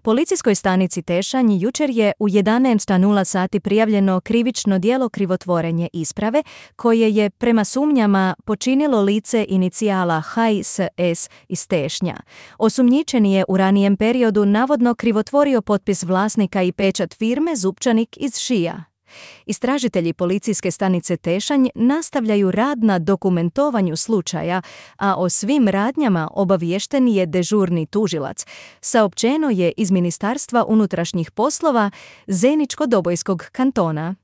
Policijskoj stanici Tešanj jučer je u 11:00 sati prijavljeno krivično djelo krivotvorenje isprave koje je prema sumnjama počinilo lice inicijala HSS iz Tešnja. Osumnjičeni je u ranijem periodu navodno krivotvorio potpis vlasnika i pečat firme Zupčanik iz Šija. Istražitelji policijske stanice Tešanj nastavljaju rad na dokumentovanju slučaja, a o svim radnjama obaviješten je dežurni tužilac, saopćeno je iz Ministarstva unutrašnjih poslova Zeničko-Dobojskog kantona.